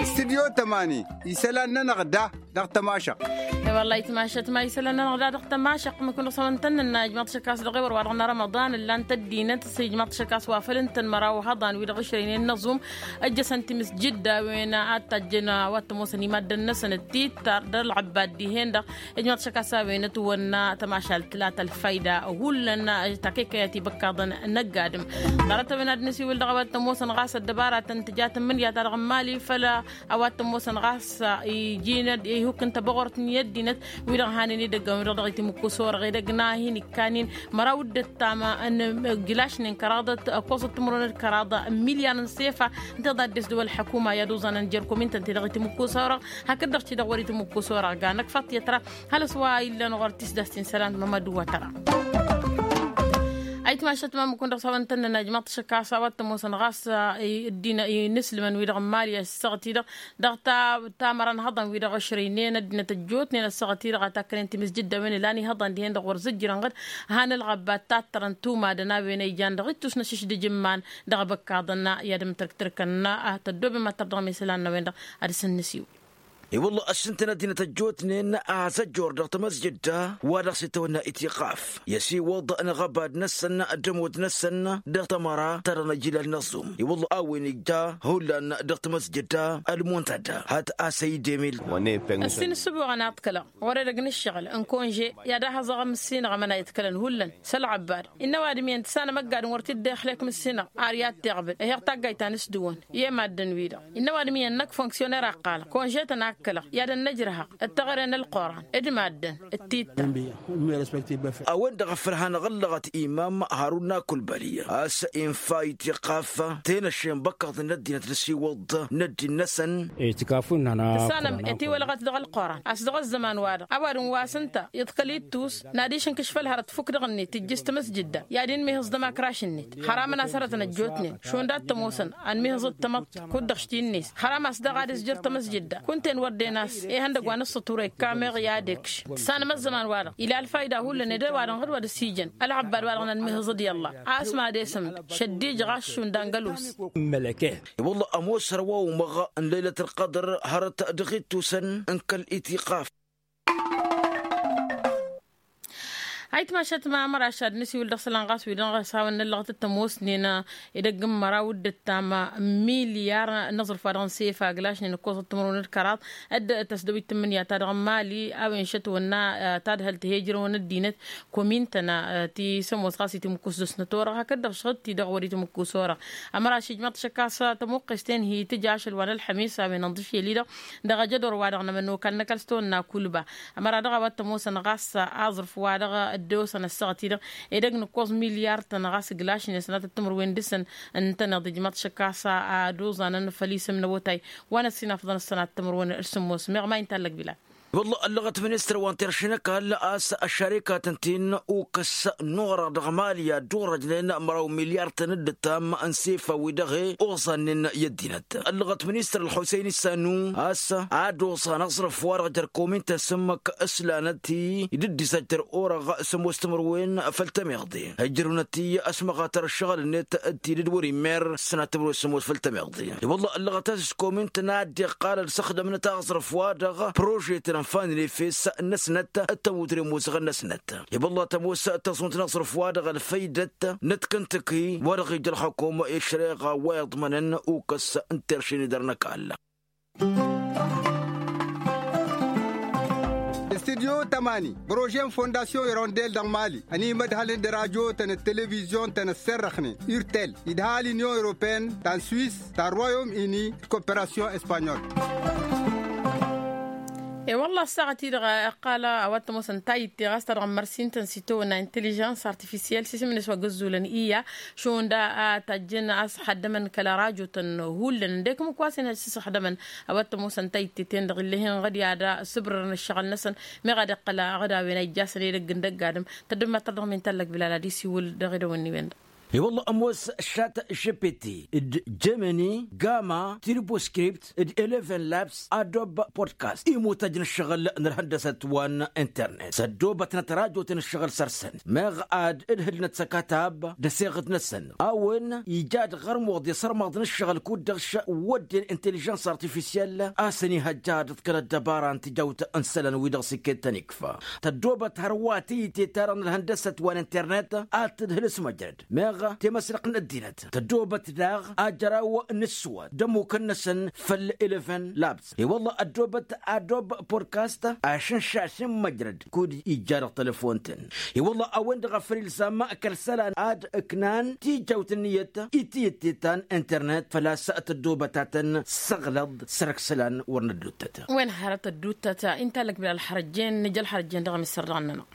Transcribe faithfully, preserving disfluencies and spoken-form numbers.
Stidyo tămani isălan-nănăɣ da dăɣ-tămašăɣt. I-wălla itmašăt ma isălan-nănăɣ da dăɣ-tămašăɣt măkun dăɣ-săwăn tăn-nănna ijmaḍ-t šăk a-s dăɣ-ewăr wa dăɣ-năra măḍan ǝllan-t ăddinăt s-ijmaḍ-t šăk a-s wa făl ǝntăn măraw hăḍan wi-dăɣ ǝšrăynen n-aẓum. Ăjjăsăn timǝsjǝdda a-wen a t-tajjăn a-wa t-ămoosăn imaddăn-năsăn d-tittar d-ălɣăbbad dihen-dăɣ. Ijmaḍ-t šăk a-s a-wen ătwănna tămašalt la tălfayda hullan. Takăy-kăy a t-ibăkkaḍăn n-ăgg-adǝm ḍarăt a-wen ad-nǝsiwǝl dăɣ-a-wa t-ămoosăn ɣas ăddăbaratăn tǝja tǝmmǝnǝya-ta-dăɣ n-mali făll-a-wa t-ămoosăn ɣas iji n-ad-ihuk n-tăbăɣort n-i ăddinăt wi-dăɣ hanen edăgg a-wen-dăɣ dăɣ-itǝmmǝkkus orăɣ edăgg n-ad-hin-ikkan-in măraw d-ăttam n-ǝjlašnen kăraḍăt ăkkoẓăt timǝrwen d-kăraḍ n-milyar n-sefa. Ǝnta iḍa dd-esdăw ălḥăkuma i-ad-uẓanăn jer-komintăn-ti-dăɣ itǝmmǝkkus orăɣ hakd-dăɣ ti-dăɣ wăr-itǝmmǝkkus orăɣ ga năkfaḍ-t i-ătra. Hal-s wa illăn ɣur-tisdast-in sălan d-mămăd uwătăra. Ayǝtmašăt ma mǝkun dăɣ-s hawăn-tăn-nănna ijmaḍ-t šăkk a-s a-wa t-ămoosăn ɣas ăddinăt inǝslǝmăn-wi-dăɣ n-mali ăssaɣăt-i-dăɣ dăɣ-tamăra n-ihăḍan-wi-dăɣ ăšrăynen ăddinăt ăjjootnen ăssaɣăt-i-dăɣ a takkănen timǝsjǝdda a-wen ǝlan ihăḍan dihen-dăɣ wăr zǝjjǝrăn ɣǝd. Han ălɣăbba tattărăn tumadăn a-wen a ijan dăɣ-ittus n-ašǝšdǝj n-iman dăɣ-ebăkkaḍăn i-ad-ǝmtărktărkăn. Tăddoobem ad-tărdăɣ mesălan n-a-wen-dăɣ ad-săn-nǝsiw. I-wălla ăššǝntăn ăddinăt ăjjootnen a has-ăjjoor dăɣ-tamăsjǝdda wa dăɣ-s itawănna itiqaf i-ăsiwăḍ n-aɣăbad-năsăn d-ămoot-năsăn dăɣ-tamăra ta dăɣ-năjilal n-aẓum i-wălla a-wen ija hullan dăɣ-tamăsjǝdda ălmuntadda hat-asăy demil. Ăssin ǝssǝbuɣăn a ǝḍkălăɣ ɣur-edăgg n-ǝššăɣǝl n-konže i-ad-ahăẓăɣ amǝssinăɣ ămănayăt kălăn hullan s-ălɣăbbad. Innă ăwadǝm iyyăn tǝssanăm ăgg-adǝm wăr t-dd-ixlek mǝssinăɣ ar i-ad-t-iɣbǝd ehăɣ taggayt ta n-ǝsdǝwăn i-e-maddǝn-wi-dăɣ. Innă ăwadǝm iyyăn n-ăkk fonksyuner a ǝqqalăɣ i-ad-ănnăjrăhăɣ d-teɣăre n-ălquran d-maddǝn d-titta. A-wen-dăɣ a făl hanăɣ-ǝllăɣăt imam harun n-akulbăli a-s infa itiqaf tenăšše n-ibăkkaḍăn n-ăddinăt n-asiwăḍ n-ăddin-năsăn. Tǝssanăm etiwălăɣăt dăɣ-ălquran a-s dăɣ-ăzzăman-wa-dăɣ ăwadǝm wa s-ǝnta iḍkăl ittus n-ad-išǝnkǝš făll-hărăt tǝfuk dăɣ-net tǝjjǝs tamăsjǝdda i-ad-inmihǝẓ dămakraš-net. Hăram ănasărătăn ăjjootnen šund ad-tămoosăn ănmihǝẓăt tamăḍt kud-dăɣ šti-net hărăm a-s dăɣ-ad-ǝzjăr tamăsjǝdda kunta-en wăr dd-enas. Ihăndăgg wa n-ǝssătura ikkameɣ i-ad-ekš tǝssanăm ăzzăman-wa-dăɣ ila ălfayda hullan ed ăwadǝm ɣǝd wa dăɣ-s ijăn ălɣăbbad-wa-dăɣ n-ănmihǝẓăd i-ălla. A-s mad-esǝmd šăddij ɣas šund angălus. I-wălla ămoos hărwa umăɣ n-lăylăt ălqădăr hărăt dăɣ-ittusăn n-kăl-itiqaf. Ayǝtmašăt ma măraš ad-nǝsiwǝl dăɣ-isălan ɣas wi-dăɣ s-hawăn-năllăɣăt d-tămoosnen edăgg n-măraw d-ǝttam milyar n-aẓrǝf wa dăɣ-nǝsefa aglašnen ǝkkoẓăt timǝrwen d-kăraḍ. Dd-tăsdăwit tǝmmǝnǝya-ta-dăɣ n-mali a-wen šătwănna tadhălt he-ijrăwăn ăddinăt komin-tăn ti s-ămoos ɣas itimǝkkus dăɣ-snăt orăɣ hakd-dăɣ šăɣ-t-i-dăɣ wăr-itimǝkkus orăɣ. Ămăraš ijmăḍ-t šăkk a-s tămuqqes-ten hi-tǝj ašăl wa n-ălxămis a-wen ănḍǝšel-i-dăɣ dăɣ-ajădor-wa-dăɣ n-amănokal n-ăkall s-tawănna kulba. Ămăra dăɣ-a-wa t-ămoosăn ɣas aẓrǝf-wa-dăɣ dd-osăn ăssaɣăt-i-dăɣ edăgg n-ǝkkoẓ milyar-tăn ɣas ǝglašnen sănatăt timǝrwen dăɣ-săn. Ǝntăneḍ ijmăḍ-t šăkk a-s ad-oẓanăn făll-isǝm n-awătay wa n-ăssinafăḍăn s-sănat timǝrwen d-sǝmmos meɣ ma intallăg bilal. Wălla ăllăɣăt ministăr wa n-terše n-ăkall a-s ăššarikatăn-ten ukǝs n-orăɣ dăɣ-mali ad-dd-orăjnen măraw milyar-tăn d-ǝttam n-sefa-wi-dăɣ e-oẓannen i-ăddinăt. Ăllăɣăt ministăr ălxusăyni sanu a-s ad-oẓan aẓrǝf-wa-dăɣ jer-komin-tăn s-ǝmmǝk s-lanăt-i d-dd-isăjjăr orăɣ s-ămoos timǝrwen făll-tămiḍe ǝjrăwnăt-i ăsmăɣatăr ǝššăɣǝl-net d-tidǝd wăr-immer s-sănat timǝrwen s-ămoos făll-tămiḍe. I-wălla ăllăɣăt a-s s-komin-tăn a dd-iqqal ălsăxdăm n-aẓrǝf-wa-dăɣ prožetăn ănfanăn efes-năsnăt d-tămutren imuzăɣăn-năsnăt. I-wălla tămoos tăẓunt n-aẓrǝf-wa-dăɣ ălfăydăt n-ătkǝntǝki wa dăɣ-ija ălxukum i-ăššăreɣa wa iḍmănăn ukǝs n-terše n-idăr n-ăkall. Studyo tămani prože n-fondasyon irondel dăɣ-mali ănimădhălăn d-rajotăn d-televizyon-tăn ăsserrăxnen urtel idha l-inyon europene ta n-swis ta n-royom ini d-koperasyon espanyol. E-wălla ăssaɣăt-i-dăɣ ăqqal a-wa t-ămoosăn tayǝtte ɣas ta dăɣ-mărsintăn s-itawănna intelijans artifisyel s-isǝm-net wa găzzulăn iyya šund a tajjăn a-s ăsxăddămăn kăla rajotăn hullan ǝndek ǝmmǝk wa s-inhăj s-ǝsxăddămăn. A-wa t-ămoosăn tayǝtte-ten-dăɣ ill'-e-hin ɣǝd i-ad-sǝbrărăn ǝššăɣǝl-năsăn meɣ ad-iqqăl aɣǝd a-wen a ijjasăn edăgg n-dăgg-adǝm. Tăddǝmmat tărdăɣ min tallăg bilal ad-isiwǝl dăɣ-edăwănni-wen-dăɣ. I-wălla ămoos chat gpt, d-gemini, gama, turboscript, d-eleven labs, adob podcast, imutăj n-ǝššăɣǝl n-ălhăndăsăt wa n-internet s-ăddoobătnăt rajotăn ǝššăɣǝl săr-săn meɣ ad-ǝdhǝlnăt s-akatab d-aseɣǝd-năsăn a-wen ija d-ɣărmuḍ i-sărmăḍ n-ǝššăɣǝl kud-dăɣ s-wădden intellijăns artifisyel a-s ănihăjja ad-ǝḍkăl ăddăbara n-tijawt n-isălan-wi-dăɣ s-iket tăn-ikfa. Tăddoobăt hărwa tiyǝtte-ta-dăɣ n-ălhăndăsăt wa n-internet ad-tǝdhǝl s-măjrăd meɣ temăslăɣt n-ăddinăt tăddoobăt daɣ ajăraw n-ǝssǝwăt d-ămmukăn-năsăn făll-eleven labs. I-wălla ăddoobăt adob podcast ašǝnša s-inmăjrăd kud-ija dăɣ-telefon-tăn. I-wălla a-wen-dăɣ a făl ilzam kăl-isălan ad-ǝknan tijawt ǝnniyăt i-tiyǝtte ta n-internet făl-a-s tăddoobăt a tăn-săɣlăḍ săr-ăkk isălan wăr nădduttăt. Wen hărăt ădduttăt. Inta lăkbǝl ălxărăjjen nǝja ălxărăjjen dăɣ-amisăr dăɣ-nănăɣ.